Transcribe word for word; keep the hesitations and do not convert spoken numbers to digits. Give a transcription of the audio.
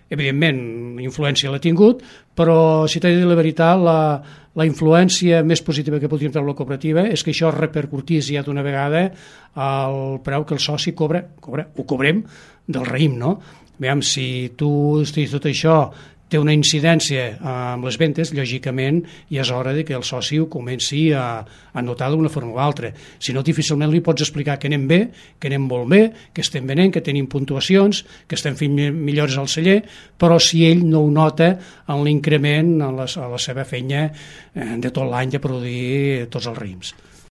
evidentment, influència l'ha tingut, però, si t'he de dir la veritat, la, la influència més positiva que podria treure la cooperativa és que això repercutís ja d'una vegada al preu que el soci cobra, cobra ho cobrem del raïm, no? Veiem, si tu estiguis tot això té una incidència amb les ventes, lògicament ja és hora de que el soci ho comenci a, a notar d'una forma o altra. Si no, difícilment li pots explicar que anem bé, que anem molt bé, que estem venent, que tenim puntuacions, que estem fent millores al celler, però si ell no ho nota en l'increment a la, a la seva feina de tot l'any de produir tots els raïms.